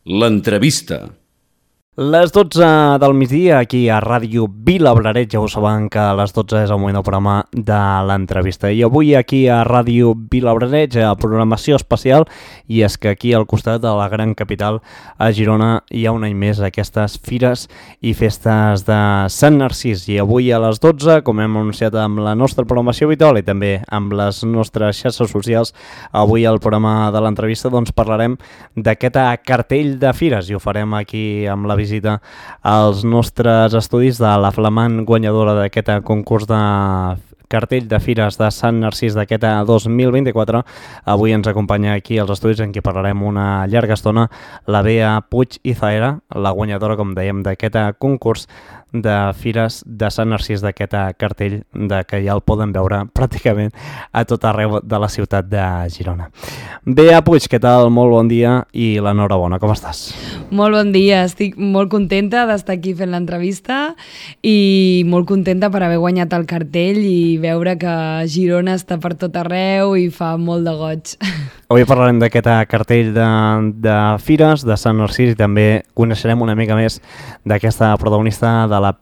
L'entrevista. Les 12 del migdia, aquí a Ràdio Vilabraret, ja ho saben que a les 12 és el moment del programa de l'entrevista. I avui aquí a Ràdio Vilabraret, a programació especial, i és que aquí al costat de la gran capital, a Girona, hi ha un any més aquestes fires i festes de Sant Narcís. I avui a les 12, com hem anunciat amb la nostra programació habitual i també amb les nostres xarxes socials, avui al programa de l'entrevista doncs parlarem d'aquest cartell de fires i ho farem aquí amb la visita als nostres estudis de la flamant guanyadora d'aquest concurs de cartell de fires de Sant Narcís d'aquest 2024. Avui ens acompanya aquí als estudis en què parlarem una llarga estona la Bea Puig i Zaera, la guanyadora, com dèiem, d'aquest concurs de fires de Sant Narcís, d'aquest cartell que ja el poden veure pràcticament a tot arreu de la ciutat de Girona. Bea Puig, què tal? Molt bon dia i l'enhorabona, com estàs? Molt bon dia, estic molt contenta d'estar aquí fent l'entrevista i molt contenta per haver guanyat el cartell i veure que Girona està per tot arreu i fa molt de goig. Avui parlarem d'aquest cartell de fires de Sant Narcís i també coneixerem una mica més d'aquesta protagonista de la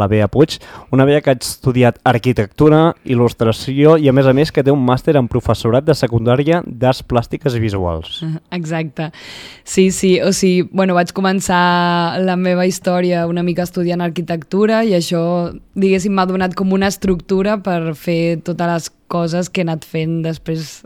Bea Puig, una Bea que ha estudiat arquitectura, il·lustració i a més que té un màster en professorat de secundària d'arts plàstiques i visuals. Exacte. Sí, o sigui, vaig començar la meva història una mica estudiant arquitectura i això, diguéssim, m'ha donat com una estructura per fer totes les coses que he anat fent després,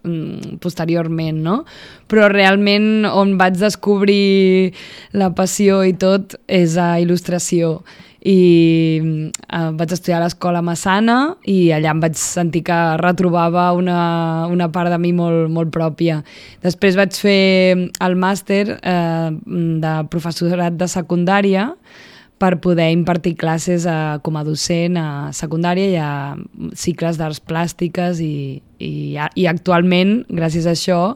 posteriorment, no? Però realment on vaig descobrir la passió i tot és a il·lustració. I vaig estudiar a l'Escola Massana i allà em vaig sentir que retrobava una part de mi molt pròpia. Després vaig fer el màster de professorat de secundària per poder impartir classes com a docent a secundària i a cicles d'arts plàstiques i actualment, gràcies a això,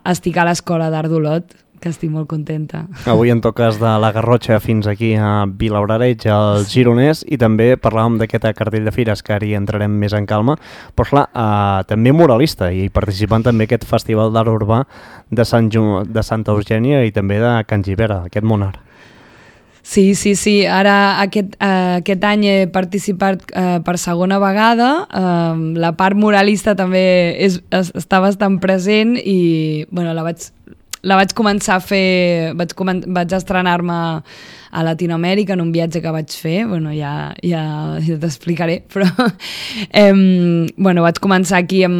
estic a l'Escola d'Art d'Olot, que estic molt contenta. Avui en toques de la Garrotxa fins aquí a Vilabraret, al Gironès, i també parlàvem d'aquest cartell de fires, que ara hi entrarem més en calma, però clar, també muralista i participant també aquest Festival d'Art Urbà de Santa Eugènia i també de Can Gibera, aquest Monar. Sí. Ara aquest any he participat per segona vegada. La part muralista també està bastant present i la vaig començar a fer, vaig estrenar-me a Latinoamèrica en un viatge que vaig fer, ja t'explicaré, però vaig començar aquí a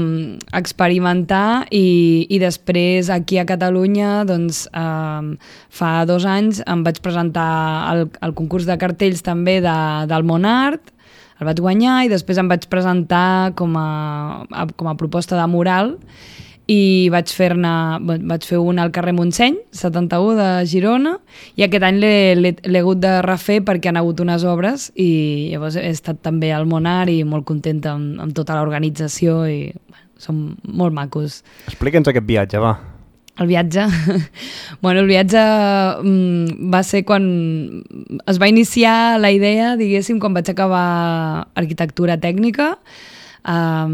experimentar i després aquí a Catalunya, doncs fa 2 anys em vaig presentar al concurs de cartells també del Monart, el vaig guanyar i després em vaig presentar com a proposta de mural i vaig fer un al carrer Montseny, 71 de Girona, i aquest any l'he hagut de refer perquè han hagut unes obres i llavors he estat també al Monar i molt contenta amb tota l'organització i són molt macos. Explica'ns aquest viatge, va. El viatge? El viatge va ser quan es va iniciar la idea, diguéssim, quan vaig acabar arquitectura tècnica. A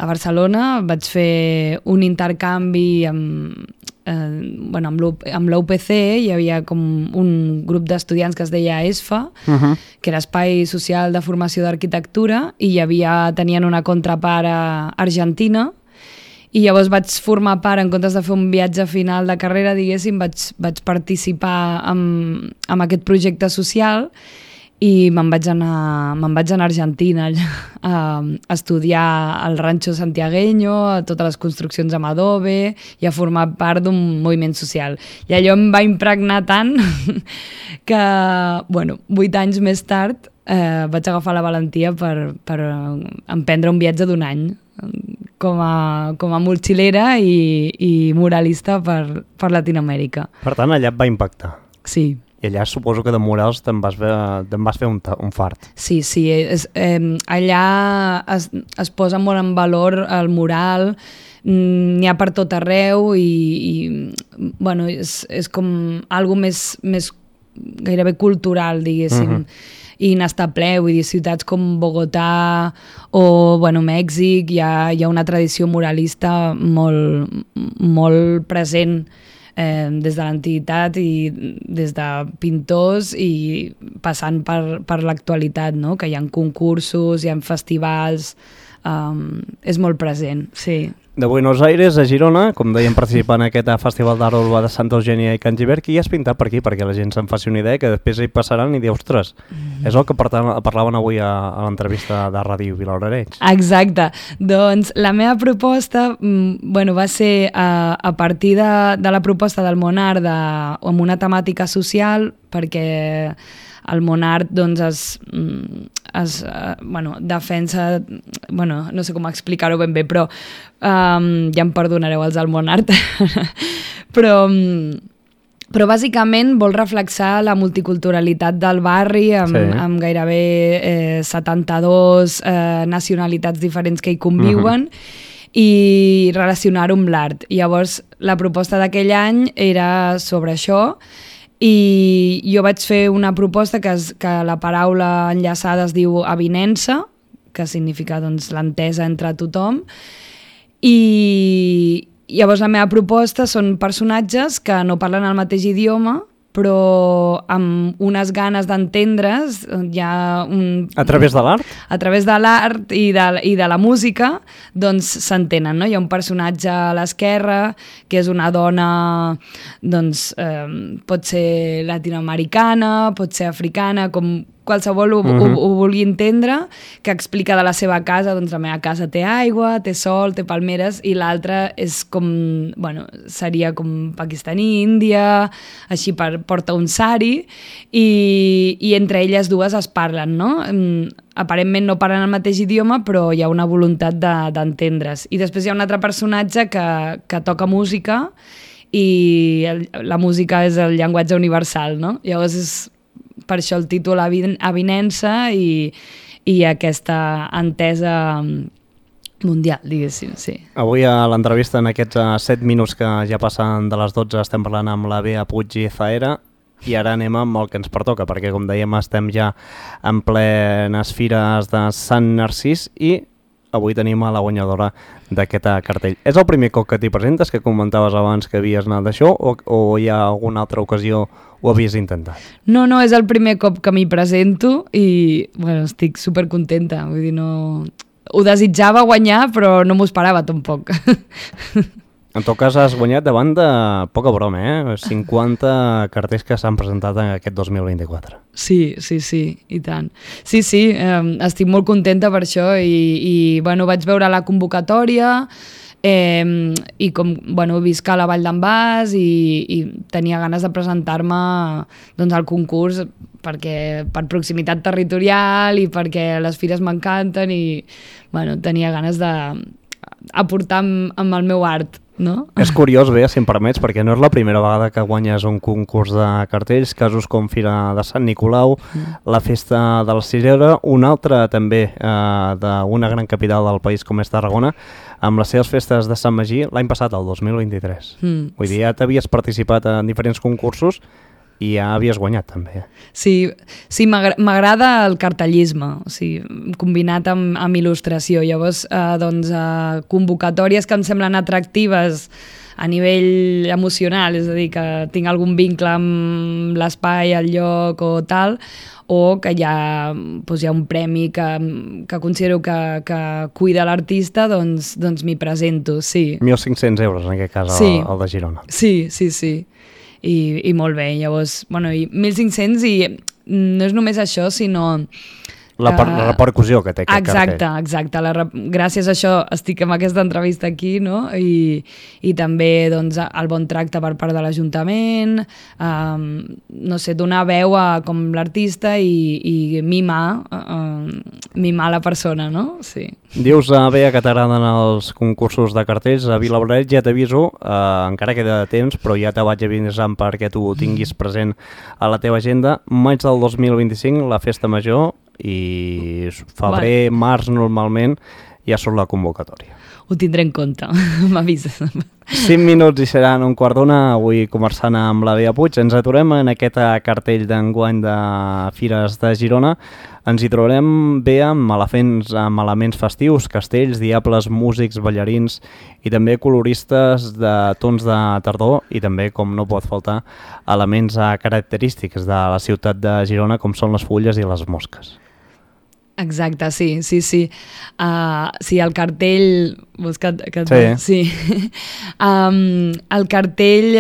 Barcelona vaig fer un intercanvi amb l'UPC, hi havia com un grup d'estudiants que es deia ESFA, que era Espai Social de Formació d'Arquitectura, i tenien una contrapart a Argentina, i llavors vaig formar part, en comptes de fer un viatge final de carrera, diguéssim, vaig participar en aquest projecte social i me'n vaig anar a Argentina a estudiar al Rancho Santiagueño, a totes les construccions amb adobe i a formar part d'un moviment social. I allò em va impregnar tant que, 8 anys més tard vaig agafar la valentia per emprendre un viatge d'1 any com a mochilera i muralista per Latinoamèrica. Per tant, allà et va impactar. Sí. I allà suposo que de murals te'n vas fer un fart. Sí, allà es posa molt en valor el mural, n'hi ha per tot arreu i és com algo més gairebé cultural, diguéssim. I n'està ple, vull dir, ciutats com Bogotà o Mèxic, hi ha una tradició muralista molt present des de l'antiguitat i des de pintors i passant per l'actualitat, no? Que hi ha concursos, hi ha festivals, és molt present, sí. De Buenos Aires a Girona, com dèiem, participant en aquest Festival d'Art Urbà de Santa Eugènia i Can Gibert, qui has pintat per aquí? Perquè la gent se'n faci una idea, que després hi passaran i dir, ostres, és el que parlaven avui a l'entrevista de Ràdio Vilablareix. Exacte. Doncs la meva proposta va ser a partir de la proposta del Monart amb una temàtica social, perquè el Monart doncs, defensa, no sé com explicar-ho ben bé, però ja em perdonareu els del Monart, però bàsicament vol reflexar la multiculturalitat del barri amb gairebé 72 nacionalitats diferents que hi conviuen, i relacionar-ho amb l'art. Llavors, la proposta d'aquell any era sobre això, i jo vaig fer una proposta que la paraula enllaçada es diu avinença, que significa doncs, l'entesa entre tothom, i llavors la meva proposta són personatges que no parlen el mateix idioma, però amb unes ganes d'entendre's, a través de l'art? A través de l'art i de la música, doncs s'entenen, no? Hi ha un personatge a l'esquerra, que és una dona, doncs, pot ser latinoamericana, pot ser africana, com qualsevol ho vulgui entendre, que explica de la seva casa, doncs la meva casa té aigua, té sol, té palmeres, i l'altra és com, seria com pakistaní, índia, així porta un sari, i entre elles dues es parlen, no? Aparentment no parlen el mateix idioma, però hi ha una voluntat d'entendre's. I després hi ha un altre personatge que toca música, i la música és el llenguatge universal, no? Llavors és per això el títol avinença i aquesta entesa mundial, diguéssim, sí. Avui a l'entrevista, en aquests 7 minuts que ja passen de les 12, estem parlant amb la Bea Puig i Zaera, i ara anem amb el que ens pertoca, perquè com dèiem estem ja en plenes fires de Sant Narcís i avui tenim a la guanyadora d'aquest cartell. És el primer cop que t'hi presentes, que comentaves abans que havies anat d'això, o hi ha alguna altra ocasió ho havies intentat? No, és el primer cop que m'hi presento i estic supercontenta. Vull dir, no... Ho desitjava guanyar, però no m'ho esperava tampoc. En tot cas, has guanyat davant de poca broma, 50 cartells que s'han presentat en aquest 2024. Sí, i tant. Sí, estic molt contenta per això i vaig veure la convocatòria i com, visc a la Vall d'en Bas i tenia ganes de presentar-me al concurs perquè per proximitat territorial i perquè les fires m'encanten i tenia ganes d'aportar amb el meu art. No? És curiós, Bea, si em permets, perquè no és la primera vegada que guanyes un concurs de cartells, casos com Fira de Sant Nicolau, la Festa de la Cirera, una altra també d'una gran capital del país com és Tarragona, amb les seves festes de Sant Magí l'any passat, el 2023. Vull dir, ja t'havies participat en diferents concursos i ja havies guanyat també. Sí, m'agrada el cartellisme, o sigui, combinat amb il·lustració. Llavors, convocatòries que em semblen atractives a nivell emocional, és a dir, que tinc algun vincle amb l'espai, el lloc o tal, o que hi ha un premi que considero que cuida l'artista, doncs m'hi presento, sí. 1.500 euros, en aquest cas, el de Girona. Sí. I molt bé, llavors, i 1.500 i no és només això, sinó... La repercussió que té aquest cartell. Exacte. Gràcies a això estic amb aquesta entrevista aquí, no? I també el bon tracte per part de l'Ajuntament, no sé, donar veu a com l'artista i mimar la persona, no? Sí. Dius, Bea, que t'agraden els concursos de cartells. A Vilablareix ja t'aviso, encara queda de temps, però ja te vaig avisant perquè tu ho tinguis present a la teva agenda. Maig del 2025, la Festa Major, i febrer, març normalment ja surt la convocatòria. Ho tindré en compte, m'avises. 5 minuts i seran 1:15, avui conversant amb la Bea Puig. Ens aturem en aquest cartell d'enguany de Fires de Girona. Ens hi trobarem, Bea, amb elements festius, castells, diables, músics, ballarins i també coloristes de tons de tardor i també, com no pot faltar, elements característics de la ciutat de Girona, com són les fulles i les mosques. Exacte, sí. Sí, el cartell... Sí. El cartell,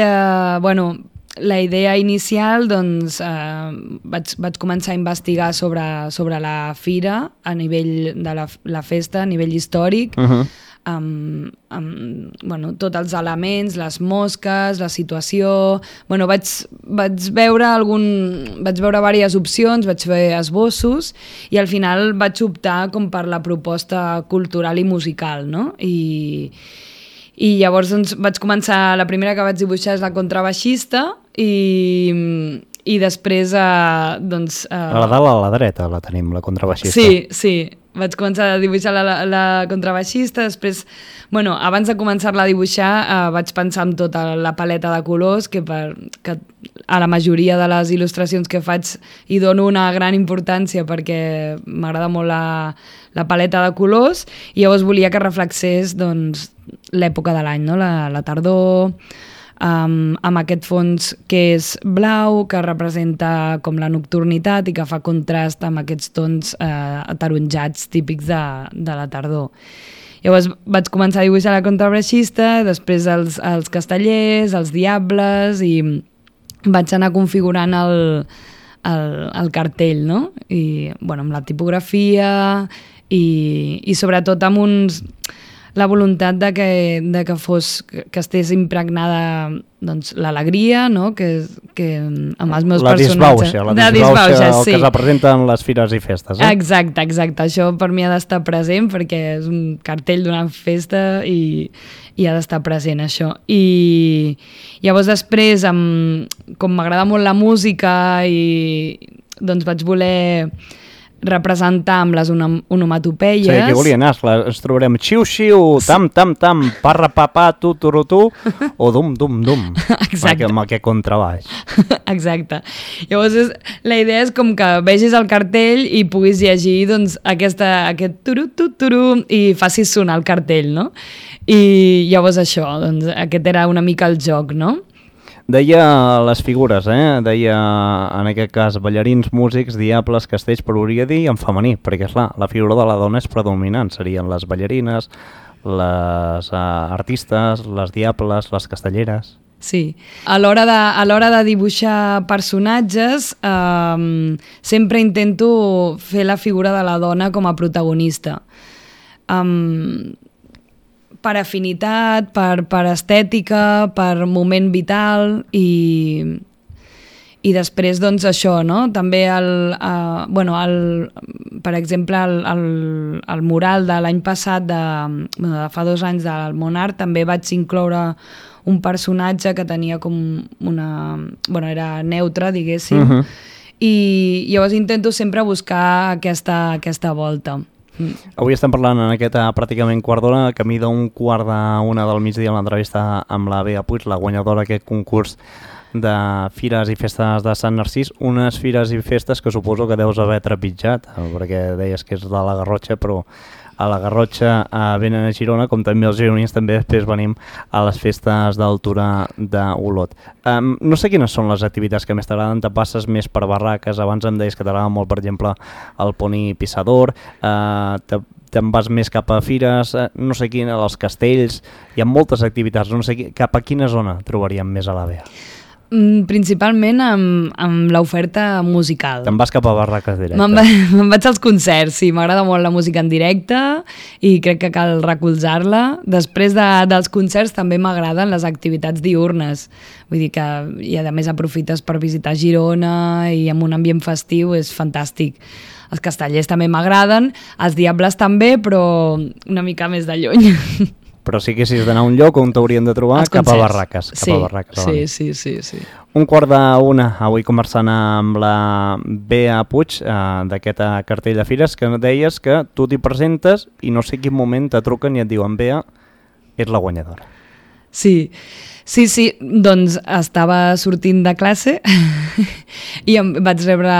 la idea inicial, doncs, vaig començar a investigar sobre la fira a nivell de la festa, a nivell històric, amb tots els elements, les mosques, la situació... Vaig veure diverses opcions, vaig fer esbossos i al final vaig optar com per la proposta cultural i musical, no? I llavors doncs, vaig començar, la primera que vaig dibuixar és la contrabaixista i després a la dalt a la dreta la tenim, la contrabaixista. Sí, vaig començar a dibuixar la contrabaixista, després, abans de començar-la a dibuixar vaig pensar en tota la paleta de colors que a la majoria de les il·lustracions que faig hi dono una gran importància perquè m'agrada molt la paleta de colors i llavors volia que reflexés doncs, l'època de l'any, no? La tardor, amb aquest fons que és blau, que representa com la nocturnitat i que fa contrast amb aquests tons ataronjats típics de la tardor. Llavors vaig començar a dibuixar la contrabaixista, després els castellers, els diables i vaig anar configurant el cartell, no? I, amb la tipografia i sobretot amb la voluntat de que estés impregnada doncs, l'alegria, no? que amb els meus personatges... La disbauxa, el que representen les fires i festes. Exacte. Això per mi ha d'estar present perquè és un cartell d'una festa i ha d'estar present això. I llavors després, com m'agrada molt la música, doncs vaig voler representar amb les onomatopeies. Sí, aquí volia anar, ens trobarem xiu-xiu, tam-tam-tam, parra-papà, tu-tu-ru-tu, o dum-dum-dum, amb aquest contrabaix. Exacte. Llavors, la idea és com que vegis el cartell i puguis llegir doncs, aquest turu-tu-turu i facis sonar el cartell, no? I llavors això, doncs, aquest era una mica el joc, no? Deia les figures, deia en aquest cas ballarins, músics, diables, castells, però hauria de dir en femení, perquè esclar, la figura de la dona és predominant, serien les ballarines, les artistes, les diables, les castelleres... Sí, a l'hora de dibuixar personatges sempre intento fer la figura de la dona com a protagonista. Per afinitat, per estètica, per moment vital i després doncs això, no? També per exemple el mural de l'any passat de fa 2 anys del Monart també vaig incloure un personatge que tenia com era neutre, diguéssim, i llavors intento sempre buscar aquesta volta. Avui estem parlant en aquest pràcticament quart d'hora, camí d'1:45 del migdia en l'entrevista amb la Bea Puig, la guanyadora d'aquest concurs de Fires i Festes de Sant Narcís, unes fires i festes que suposo que deus haver trepitjat, perquè deies que és de la Garrotxa, però a la Garrotxa venen a Girona, com també els gironins també després venim a les festes d'altura d'Olot. No sé quines són les activitats que més t'agraden, te passes més per barraques, abans em deies que t'agrada molt, per exemple, el poni pissador, te'n vas més cap a fires, no sé quina, els castells, hi ha moltes activitats, no sé cap a quina zona trobaríem més a la Bea? Principalment amb l'oferta musical. Te'n vas cap a barraques directes? Me'n vaig als concerts, sí, m'agrada molt la música en directe i crec que cal recolzar-la. Després dels concerts també m'agraden les activitats diürnes, vull dir que i a més aprofites per visitar Girona i amb un ambient festiu és fantàstic. Els castellers també m'agraden, els diables també, però una mica més de lluny. Però si haguessis d'anar a un lloc on t'haurien de trobar, cap a Barraques. Sí, sí. 1:45, avui conversant amb la Bea Puig d'aquest cartell de fires, que deies que tu t'hi presentes i no sé quin moment te truquen i et diuen Bea, ets la guanyadora. Sí, doncs estava sortint de classe i vaig rebre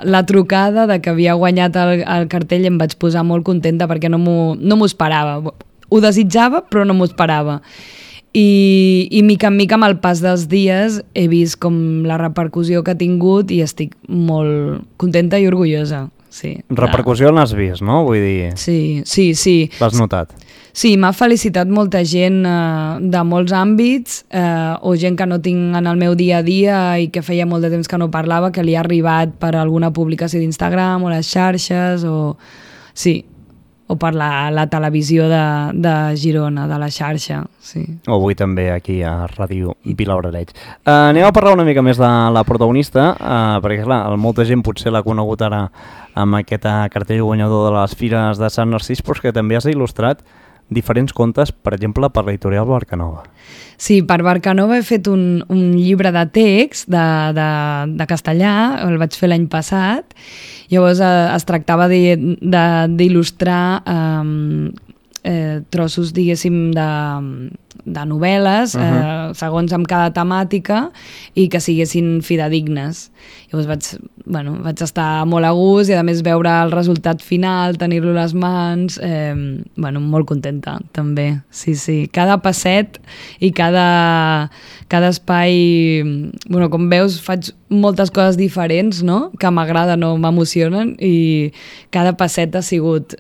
la trucada de que havia guanyat el cartell i em vaig posar molt contenta perquè no m'ho esperava. Ho desitjava, però no m'ho esperava. I mica en mica, amb el pas dels dies, he vist com la repercussió que ha tingut i estic molt contenta i orgullosa. Sí, repercussió l'has vist, no? Vull dir... Sí. L'has notat? Sí, m'ha felicitat molta gent de molts àmbits o gent que no tinc en el meu dia a dia i que feia molt de temps que no parlava, que li ha arribat per alguna publicació d'Instagram o les xarxes o per la televisió de Girona, de la xarxa. Sí. O avui també aquí a Ràdio Vilabrareig. Anem a parlar una mica més de la protagonista, perquè clar, molta gent potser l'ha conegut ara amb aquest cartell guanyador de les Fires de Sant Narcís, però que també has il·lustrat diferents contes, per exemple, per l'editorial Barcanova. Sí, per Barcanova he fet un llibre de text de castellà, el vaig fer l'any passat. Llavors es tractava d'il·lustrar trossos, diguéssim, de novel·les, segons amb cada temàtica, i que siguessin fidedignes. Llavors vaig estar molt a gust i a més veure el resultat final, tenir-lo a les mans, molt contenta també. Sí. Cada passet i cada espai, com veus, faig moltes coses diferents, no?, que m'agraden o m'emocionen, i cada passet ha sigut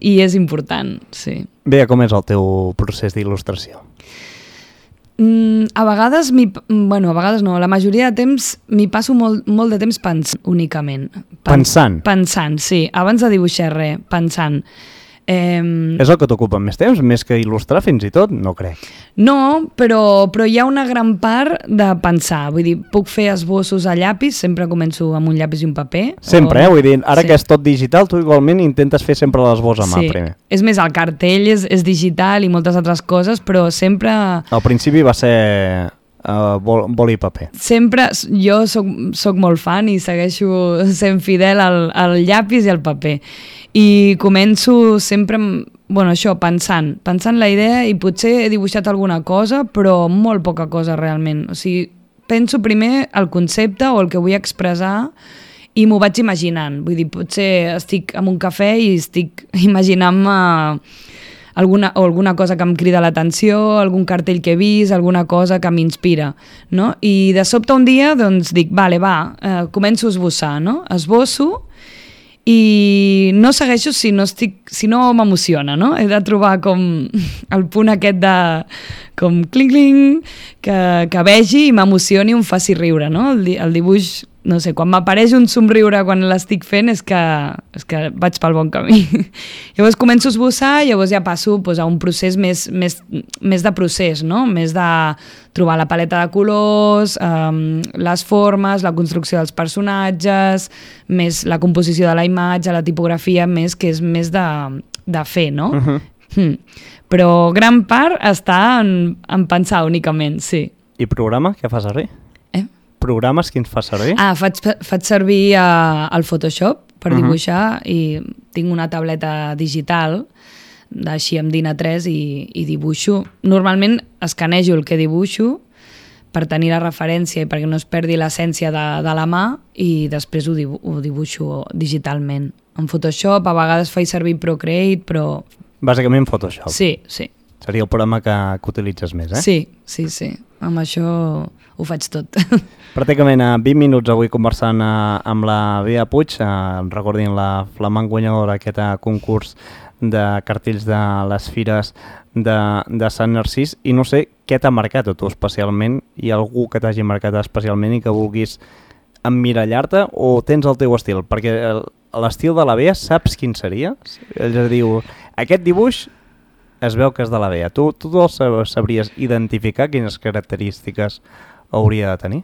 i és important, sí. Bé, com és el teu procés d'il·lustració? A vegades no, la majoria de temps m'hi passo molt de temps pensant únicament. Pensant? Pensant, sí, abans de dibuixar res, pensant. És el que t'ocupa més temps, més que il·lustrar fins i tot? No crec. No, però hi ha una gran part de pensar. Vull dir, puc fer esbossos a llapis, sempre començo amb un llapis i un paper. Sempre, vull dir, ara que és tot digital, tu igualment intentes fer sempre l'esbós a mà primer. És més, el cartell és digital i moltes altres coses, però sempre... Al principi va ser... boli i paper. Sempre, jo soc molt fan i segueixo sent fidel al llapis i al paper. I començo sempre, pensant la idea, i potser he dibuixat alguna cosa, però molt poca cosa realment. O sigui, penso primer el concepte o el que vull expressar i m'ho vaig imaginant. Vull dir, potser estic en un cafè i estic imaginant-me alguna cosa que em crida l'atenció, algun cartell que he vist, alguna cosa que m'inspira, no? I de sobte un dia doncs dic, començo a esbossar, no? Esbosso i no segueixo si no m'emociona, no? He de trobar com el punt aquest de com cling-cling, que vegi i m'emocioni i em faci riure, no? El dibuix, no sé, quan m'apareix un somriure quan l'estic fent és que vaig pel bon camí. Llavors començo a esbossar, llavors ja passo a un procés més de procés, no? Més de trobar la paleta de colors, les formes, la construcció dels personatges, més la composició de la imatge, la tipografia, que és més de fer, no? Però gran part està en pensar únicament, sí. I programa? Què fas servir? Programes quins fas servir? Faig servir el Photoshop per dibuixar i tinc una tableta digital així amb DIN A3 i dibuixo. Normalment escanejo el que dibuixo per tenir la referència i perquè no es perdi l'essència de la mà i després ho dibuixo digitalment. En Photoshop a vegades faig servir Procreate, però... Bàsicament Photoshop. Sí. Seria el programa que utilitzes més, eh? Sí. Amb això ho faig tot. Pràcticament a 20 minuts avui conversant amb la Bea Puig, recordin la flamant guanyadora aquest concurs de cartells de les Fires de Sant Narcís, i no sé què t'ha marcat a tu especialment, hi ha algú que t'hagi marcat especialment i que vulguis emmirallar-te, o tens el teu estil? Perquè l'estil de la Bea saps quin seria? És a dir, aquest dibuix es veu que és de la Bea. Tu sabries identificar quines característiques hauria de tenir?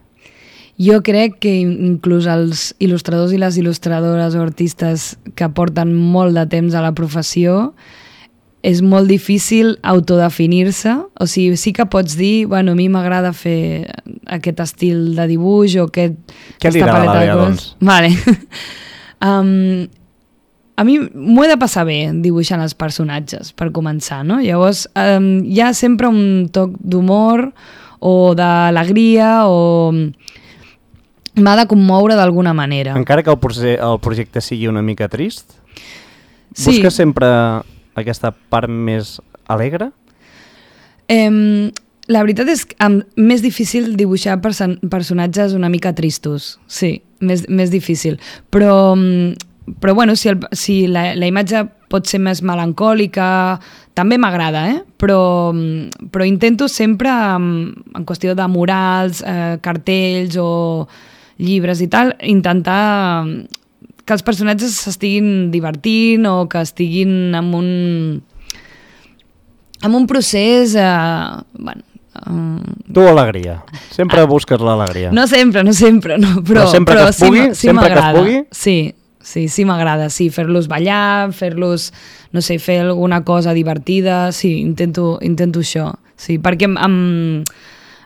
Jo crec que inclús els il·lustradors i les il·lustradores o artistes que porten molt de temps a la professió és molt difícil autodefinir-se, o sigui, sí que pots dir, bueno, a mi m'agrada fer aquest estil de dibuix o Què li agrada a la Bea, doncs? Vale. A mi m'ho he de passar bé dibuixant els personatges, per començar, no? Llavors, hi ha sempre un toc d'humor o d'alegria o m'ha de commoure d'alguna manera. Encara que el projecte sigui una mica trist? Sí. Busques sempre aquesta part més alegre? La veritat és que més difícil dibuixar personatges una mica tristos, sí, més difícil. Però bueno, si la imatge pot ser més melancòlica, també m'agrada, però intento sempre, en qüestió de murals, cartells o llibres i tal, intentar que els personatges s'estiguin divertint o que estiguin en un procés... bueno, tu alegria. Sempre busques l'alegria. No sempre, no, però sempre que es pugui, sempre que es pugui? Sí, m'agrada, sí, fer-los ballar, fer-los, no sé, fer alguna cosa divertida, sí, intento això, sí, perquè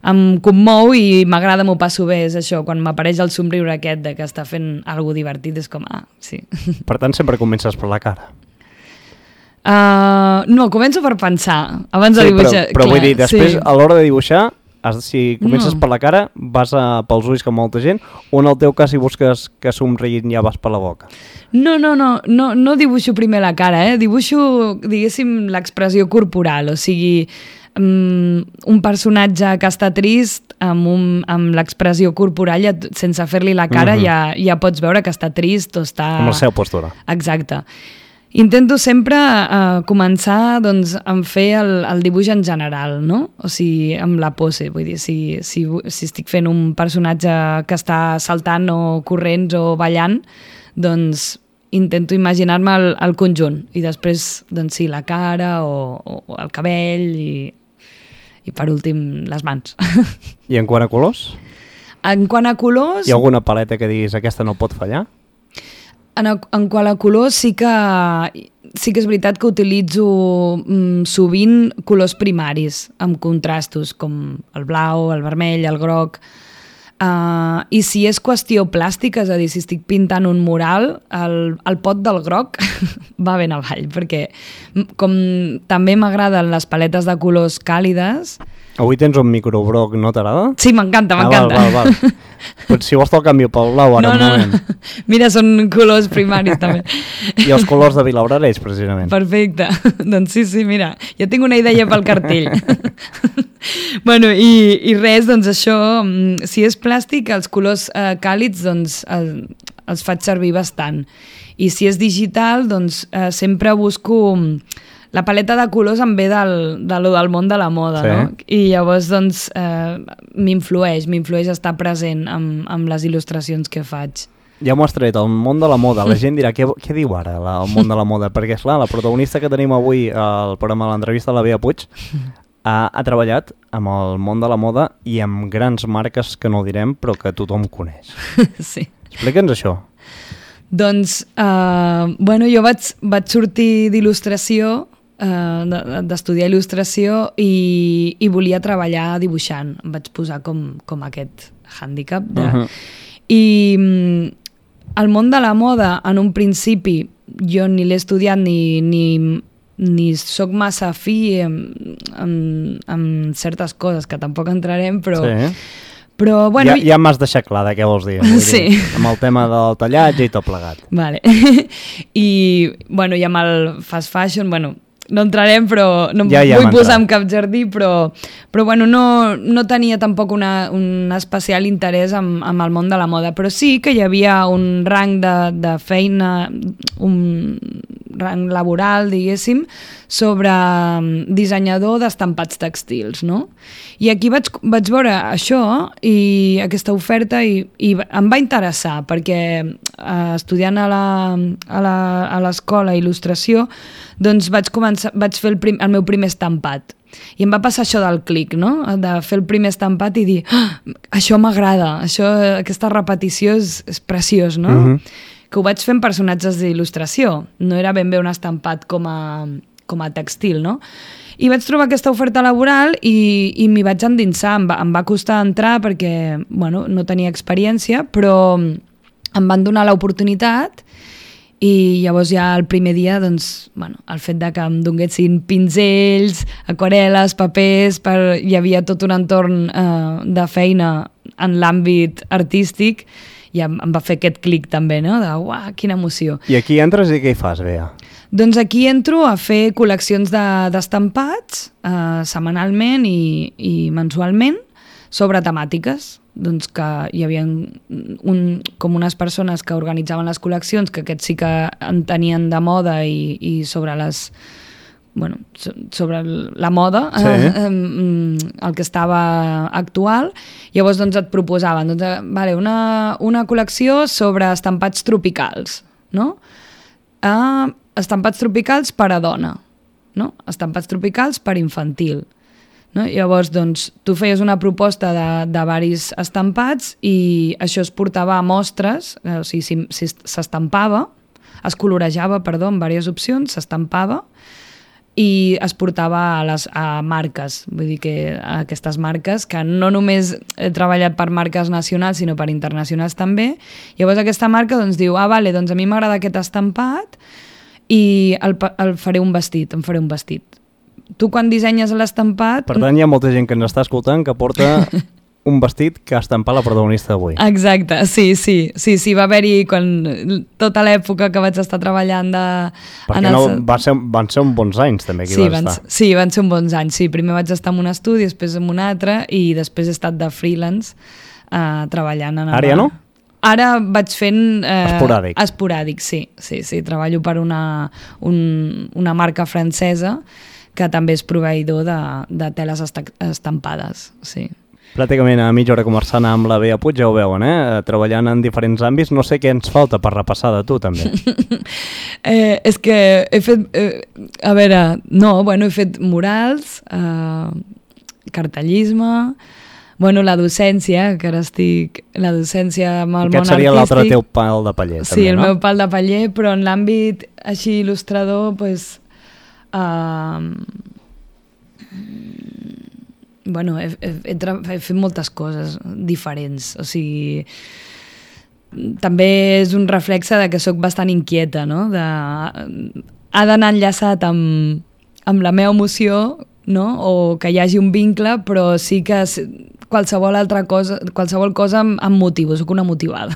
em commou i m'agrada, m'ho passo bé, és això, quan m'apareix el somriure aquest de que està fent alguna divertit, és com, sí. Per tant, sempre comences per la cara. No, començo per pensar, abans de dibuixar. Però vull dir, després, a l'hora de dibuixar, si comences per la cara, vas pels ulls com molta gent, o en el teu cas si busques que somriguin ja vas per la boca? No dibuixo primer la cara, dibuixo, diguéssim, l'expressió corporal, o sigui, un personatge que està trist amb l'expressió corporal, sense fer-li la cara, ja pots veure que està trist o està... Amb la seva postura. Exacte. Intento sempre començar doncs, a fer el dibuix en general, no? O sigui, amb la pose. Vull dir, si estic fent un personatge que està saltant o corrents o ballant, doncs intento imaginar-me el conjunt. I després, doncs sí, la cara o el cabell i per últim, les mans. I en quant a colors? En quant a colors... Hi ha alguna paleta que diguis aquesta no pot fallar? En quant a colors sí que és veritat que utilitzo sovint colors primaris amb contrastos com el blau, el vermell, el groc, i si és qüestió plàstica, és a dir, si estic pintant un mural, el pot del groc va ben avall, perquè com també m'agraden les paletes de colors càlides. Avui tens un microbroc, no t'agrada? Sí, m'encanta. Val. Pues si vols te'l canvio pel blau ara un moment. Mira, són colors primaris també. I els colors de Vilabrareix, precisament. Perfecte. Doncs sí, mira, ja tinc una idea pel cartell. Bueno, i res, doncs això, si és plàstic, els colors càlids, doncs els faig servir bastant. I si és digital, doncs sempre busco... La paleta de colors em ve del món de la moda, sí. No? I llavors, doncs, m'influeix estar present amb les il·lustracions que faig. Ja m'ho has tret, el món de la moda. La gent dirà, què diu ara el món de la moda? Perquè, esclar, la protagonista que tenim avui al programa de l'entrevista, la Bea Puig, ha treballat amb el món de la moda i amb grans marques que no direm, però que tothom coneix. Sí. Explica'ns això. Doncs, bueno, jo vaig sortir d'il·lustració, d'estudiar il·lustració i volia treballar dibuixant. Em vaig posar com aquest hàndicap. I el món de la moda, en un principi, jo ni l'he estudiat ni soc massa afí amb certes coses que tampoc entrarem, però... Sí. Però, bueno, ja m'has deixat clar de què vols dir. Sí. Amb el tema del tallatge i tot plegat. Vale. I, bueno, i amb el fast fashion, bueno, no entrarem, però no vull posar en cap jardí, però bueno, no tenia tampoc un especial interès amb el món de la moda, però sí que hi havia un rang de feina, un rang laboral, diguéssim, sobre dissenyador d'estampats textils, no? I aquí vaig veure això i aquesta oferta i em va interessar, perquè estudiant a l'escola il·lustració, doncs vaig fer el meu primer estampat. I em va passar això del clic, no? De fer el primer estampat i dir, això m'agrada, aquesta repetició és preciós, no? Que ho vaig fer amb personatges d'il·lustració. No era ben bé un estampat com a com a textil, no? I vaig trobar aquesta oferta laboral i m'hi vaig endinsar. Em va costar entrar perquè no tenia experiència, però em van donar l'oportunitat i llavors ja el primer dia el fet de que em donessin pinzells, aquarel·les, papers, hi havia tot un entorn de feina en l'àmbit artístic i em va fer aquest clic també, no? De uah, quina emoció. I aquí entres i què hi fas, Bea? Doncs aquí entro a fer col·leccions d'estampats setmanalment i mensualment sobre temàtiques. Doncs que hi havia com unes persones que organitzaven les col·leccions, que aquests sí que en tenien de moda i sobre sobre la moda, el que estava actual. Llavors et proposaven una col·lecció sobre estampats tropicals, no? Estampats tropicals per a dona, no? Estampats tropicals per infantil. No? Llavors, tu feies una proposta de diversos estampats i això es portava a mostres, o sigui, s'estampava, es colorejava, en diverses opcions, s'estampava i es portava a marques. Vull dir que aquestes marques, que no només he treballat per marques nacionals, sinó per internacionals també. Llavors aquesta marca diu, a mi m'agrada aquest estampat i el faré un vestit, em faré un vestit. Tu quan dissenyes l'estampat... Per tant, hi ha molta gent que ens està escoltant que porta un vestit que ha estampat la protagonista d'avui. Exacte, sí. Va haver-hi tota l'època que vaig estar treballant van ser uns bons anys també aquí vas estar. Sí, van ser uns bons anys. Sí, primer vaig estar en un estudi, després en un altre i després he estat de freelance treballant en... Ara ja no? Ara vaig fent... Esporàdic, sí. Treballo per una marca francesa que també és proveïdor de teles estampades, sí. Pràcticament a mitja hora conversant amb la Bea Puig, ja ho veuen, treballant en diferents àmbits. No sé què ens falta per repassar de tu, també. És que he fet... he fet murals, cartellisme, la docència, que ara estic... La docència amb el món artístic. Aquest seria l'altre teu pal de paller, també, sí, el meu pal de paller, però en l'àmbit així il·lustrador, he fet moltes coses diferents, o sigui, també és un reflexe de que sóc bastant inquieta, no? Ha d'anar enllaçat amb la meva emoció, no? O que hi hagi un vincle, però sí que qualsevol cosa em motivo, sóc una motivada.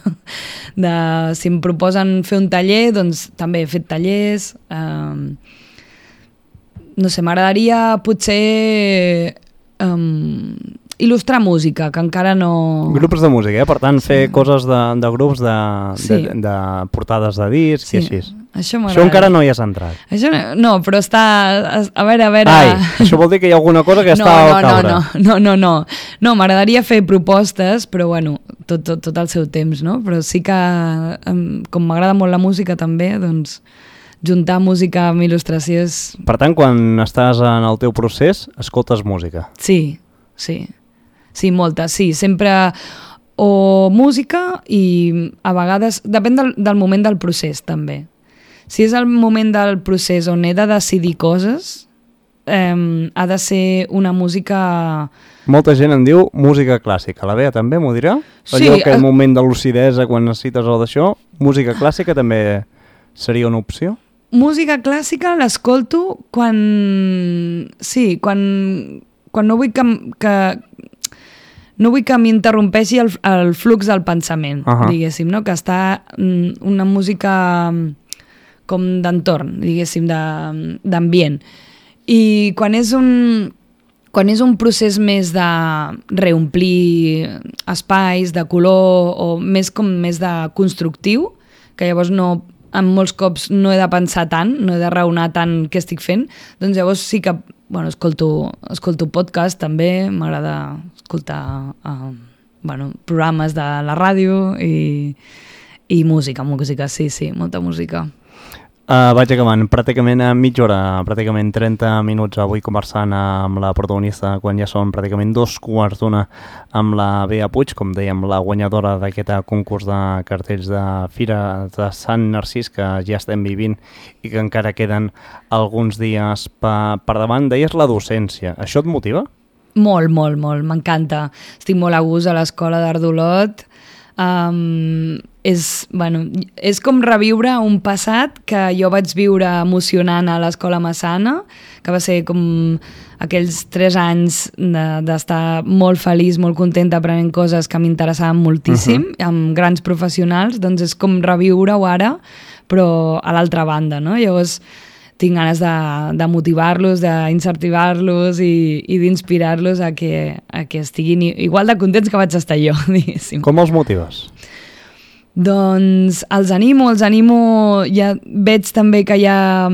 Si em proposen fer un taller, doncs també he fet tallers. No sé, m'agradaria potser il·lustrar música, que encara no... Grups de música, per tant, fer coses de grups, de portades de discs i així. Això encara no hi has entrat. Això no, però està... A veure... Ai, això vol dir que hi ha alguna cosa que està al caure. No, m'agradaria fer propostes, però tot al seu temps, no? Però sí que, com m'agrada molt la música també, doncs... juntar música amb il·lustració és... Per tant, quan estàs en el teu procés, escoltes música. Sí, molta, sí. Sempre o música i a vegades... Depèn del moment del procés, també. Si és el moment del procés on he de decidir coses, ha de ser una música... Molta gent en diu música clàssica. La Bea també m'ho dirà? Sí. Allò que moment de lucidesa, quan necessites el d'això, música clàssica també seria una opció? Música clàssica l'escolto quan no vull que m'interrompeixi el flux del pensament, diguéssim, no? Que està una música com d'entorn, diguéssim, d'ambient. I quan és un procés més de reomplir espais, de color, o més de constructiu, que llavors en molts cops no he de pensar tant, no he de raonar tant què estic fent, doncs llavors sí que escolto podcast també, m'agrada escoltar programes de la ràdio i música, sí, molta música. Vaig acabant, pràcticament a mitja hora, pràcticament 30 minuts avui conversant amb la protagonista quan ja són pràcticament 2:15 amb la Bea Puig, com dèiem, la guanyadora d'aquest concurs de cartells de Fira de Sant Narcís que ja estem vivint i que encara queden alguns dies per davant. Deies la docència, això et motiva? Molt, molt, molt, m'encanta. Estic molt a gust a l'Escola d'Art d'Olot. És com reviure un passat que jo vaig viure emocionant a l'Escola Massana, que va ser com aquells 3 anys d'estar molt feliç, molt contenta aprenent coses que m'interessaven moltíssim, amb grans professionals. Doncs és com reviure-ho ara, però a l'altra banda, no? Llavors tinc ganes de motivar-los, d'incentivar-los i d'inspirar-los a que estiguin igual de contents que vaig estar jo, diguéssim. Com els motives? Doncs els animo, ja veig també que hi ha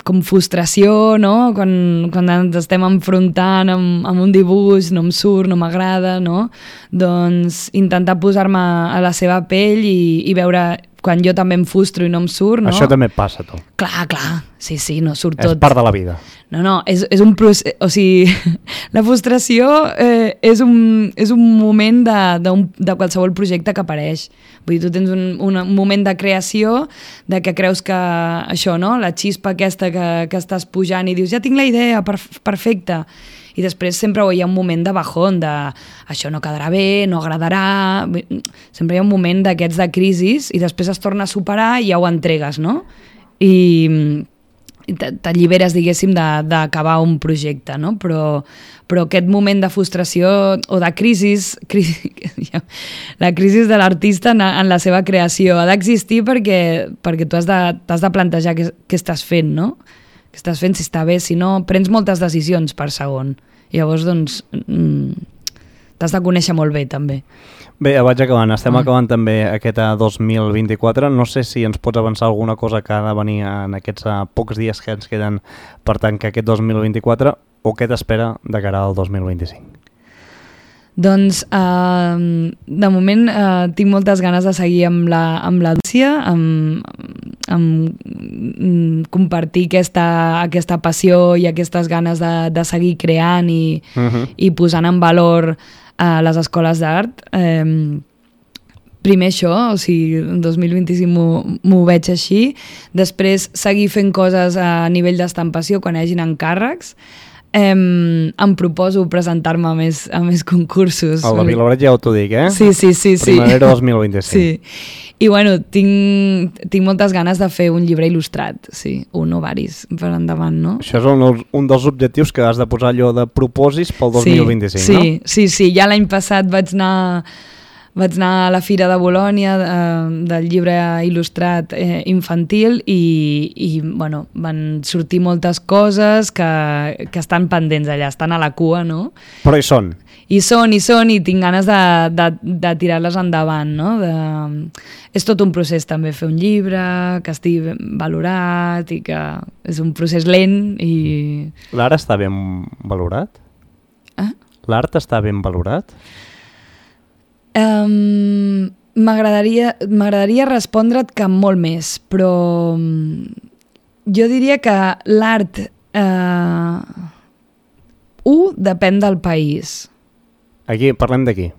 com frustració, no? Quan ens estem enfrontant amb un dibuix, no em surt, no m'agrada, no? Doncs intentar posar-me a la seva pell i veure quan jo també em frustro i no em surt, no? Això també et passa, tu. Clar, sí, no surt tot. És part de la vida. No, és un procés, o sigui, la frustració és un moment de qualsevol projecte que apareix. Vull dir, tu tens un moment de creació de que creus que això, no? La xispa aquesta que estàs pujant i dius, ja tinc la idea, perfecte. I després sempre hi ha un moment de bajón, això no quedarà bé, no agradarà... Sempre hi ha un moment d'aquests de crisis i després es torna a superar i ja ho entregues, no? I t'alliberes, diguéssim, d'acabar un projecte, no? Però aquest moment de frustració o de crisi, la crisi de l'artista en la seva creació ha d'existir perquè tu has de plantejar què estàs fent, no? Què estàs fent, si està bé, si no, prens moltes decisions per segon. Llavors, doncs, t'has de conèixer molt bé, també. Bé, vaig acabant. Estem acabant també aquest 2024. No sé si ens pots avançar alguna cosa que ha de venir en aquests pocs dies que ens queden per tancar aquest 2024 o què t'espera de cara al 2025? Doncs, de moment, tinc moltes ganes de seguir amb la docència, amb compartir aquesta passió i aquestes ganes de seguir creant i posant en valor les escoles d'art. Primer això, o sigui, en 2025 m'ho veig així. Després, seguir fent coses a nivell d'estampació quan hi hagin encàrrecs. Em proposo presentar-me a més concursos. El de Vilablareix ja t'ho dic, eh? Sí. Primavera 2025. Sí. I bueno, tinc moltes ganes de fer un llibre il·lustrat, sí, un o varis per endavant, no? Això és un dels objectius que has de posar allò de propòsits pel 2025, no? Sí, ja l'any passat vaig anar a la Fira de Bolònia del llibre il·lustrat infantil i bueno, van sortir moltes coses que estan pendents allà, estan a la cua, no? Però hi són. I tinc ganes de tirar-les endavant, no? És tot un procés també fer un llibre, que estigui valorat i que és un procés lent i... L'art està ben valorat? L'art està ben valorat? M'agradaria respondre't que molt més, però jo diria que l'art depèn del país. Aquí, parlem d'aquí.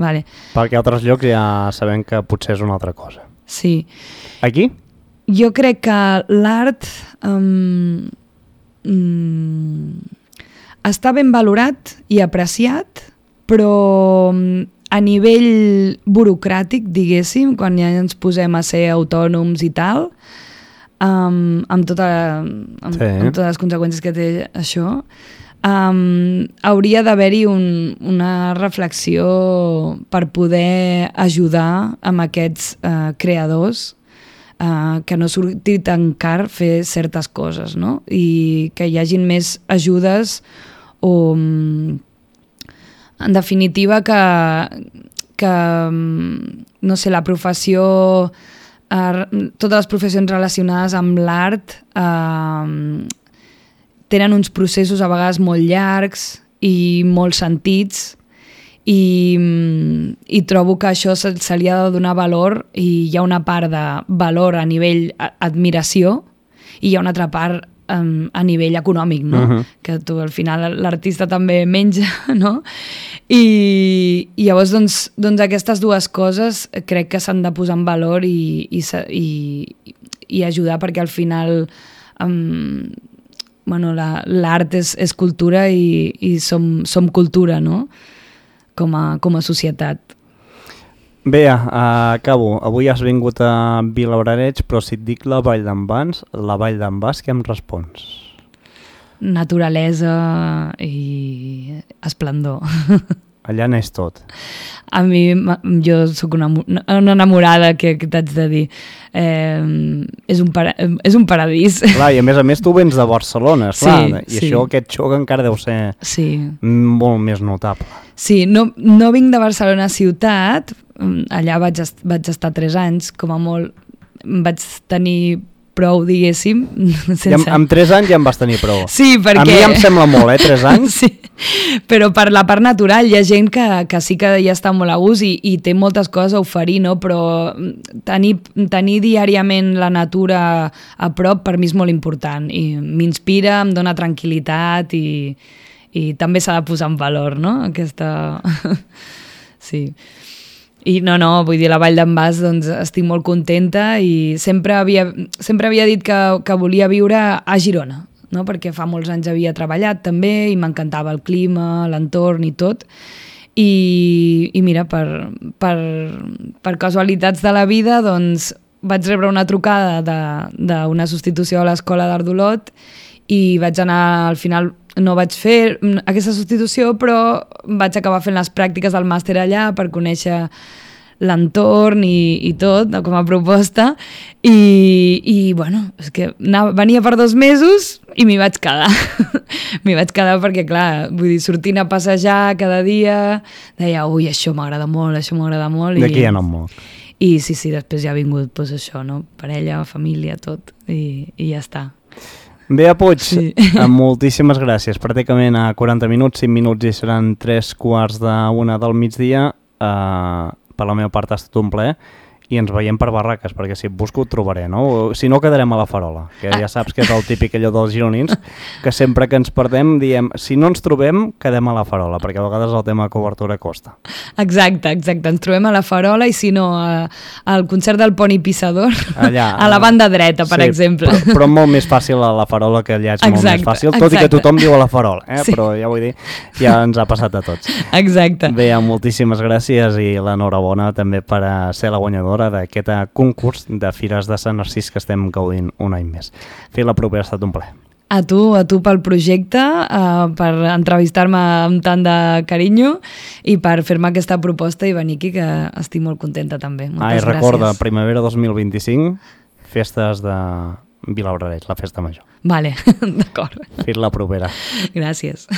Vale. Perquè a altres llocs ja sabem que potser és una altra cosa. Sí. Aquí? Jo crec que l'art està ben valorat i apreciat, però a nivell burocràtic, diguéssim, quan ja ens posem a ser autònoms i tal, amb totes les conseqüències que té això, hauria d'haver-hi una reflexió per poder ajudar amb aquests creadors que no surti tan car fer certes coses, no? I que hi hagin més ajudes o... En definitiva, que no sé, la professió, totes les professions relacionades amb l'art tenen uns processos a vegades molt llargs i molt sentits i trobo que això se li ha de donar valor i hi ha una part de valor a nivell admiració i hi ha una altra part a nivell econòmic, no? Que tu al final l'artista també menja, no? I llavors doncs aquestes dues coses crec que s'han de posar en valor i ajudar perquè al final l'art és cultura i som cultura, no? Com a societat. Bé, acabo. Avui has vingut a Vilablareix, però si et dic la Vall d'en Bas, què em respons? Naturalesa i esplendor. Allà n'és tot. A mi, jo sóc una enamorada, que t'haig de dir. És un paradís. Clar, i a més tu vens de Barcelona, esclar, i això, aquest xoc encara deu ser molt més notable. Sí, no vinc de Barcelona ciutat, allà vaig estar 3 anys, com a molt vaig tenir prou, diguéssim. Amb 3 anys ja em vas tenir prou. Sí, perquè... A mi em sembla molt, 3 anys? Sí, però per la part natural hi ha gent que sí que ja està molt a gust i té moltes coses a oferir, no? Però tenir diàriament la natura a prop per mi és molt important i m'inspira, em dona tranquil·litat i també s'ha de posar en valor, no? Aquesta... Sí. I no, vull dir, la Vall d'en Bas, doncs estic molt contenta i sempre havia dit que volia viure a Girona, no? Perquè fa molts anys havia treballat també i m'encantava el clima, l'entorn i tot. I mira, per casualitats de la vida, doncs vaig rebre una trucada d'una substitució a l'Escola d'Art d'Olot i vaig anar, al final no vaig fer aquesta substitució, però vaig acabar fent les pràctiques del màster allà per conèixer l'entorn i tot, com a proposta, i bueno, és que venia per 2 mesos i m'hi vaig quedar. M'hi vaig quedar perquè, clar, vull dir, sortint a passejar cada dia, deia, ui, això m'agrada molt. D'aquí ja no em moc. I sí, després ja ha vingut doncs, això, no? Parella, família, tot, i ja està. Bea Puig, moltíssimes gràcies. Pràcticament a 40 minuts, 5 minuts i seran 3:45 del migdia. Per la meva part ha estat un plaer i ens veiem per barraques, perquè si et busco et trobaré, no? Si no, quedarem a la Farola, que ja saps que és el típic allò dels gironins, que sempre que ens perdem diem, si no ens trobem, quedem a la Farola, perquè a vegades el tema de cobertura costa. Exacte, ens trobem a la Farola i si no, al concert del Poni Pissador, allà, a la banda dreta, per exemple. Però molt més fàcil a la Farola, que allà és molt més fàcil, tot i que tothom diu a la Farola, però ja vull dir, ja ens ha passat a tots. Exacte. Bé, moltíssimes gràcies i l'enhorabona també per ser la guanyadora d'aquest concurs de Fires de Sant Narcís que estem gaudint un any més. Fer la propera ha estat un plaer. A tu pel projecte, per entrevistar-me amb tant de carinyo i per fer-me aquesta proposta i venir aquí, que estic molt contenta també. Moltes gràcies. Recorda, primavera 2025, festes de Vilablareix, la festa major. Vale, d'acord. Fer la propera. Gràcies.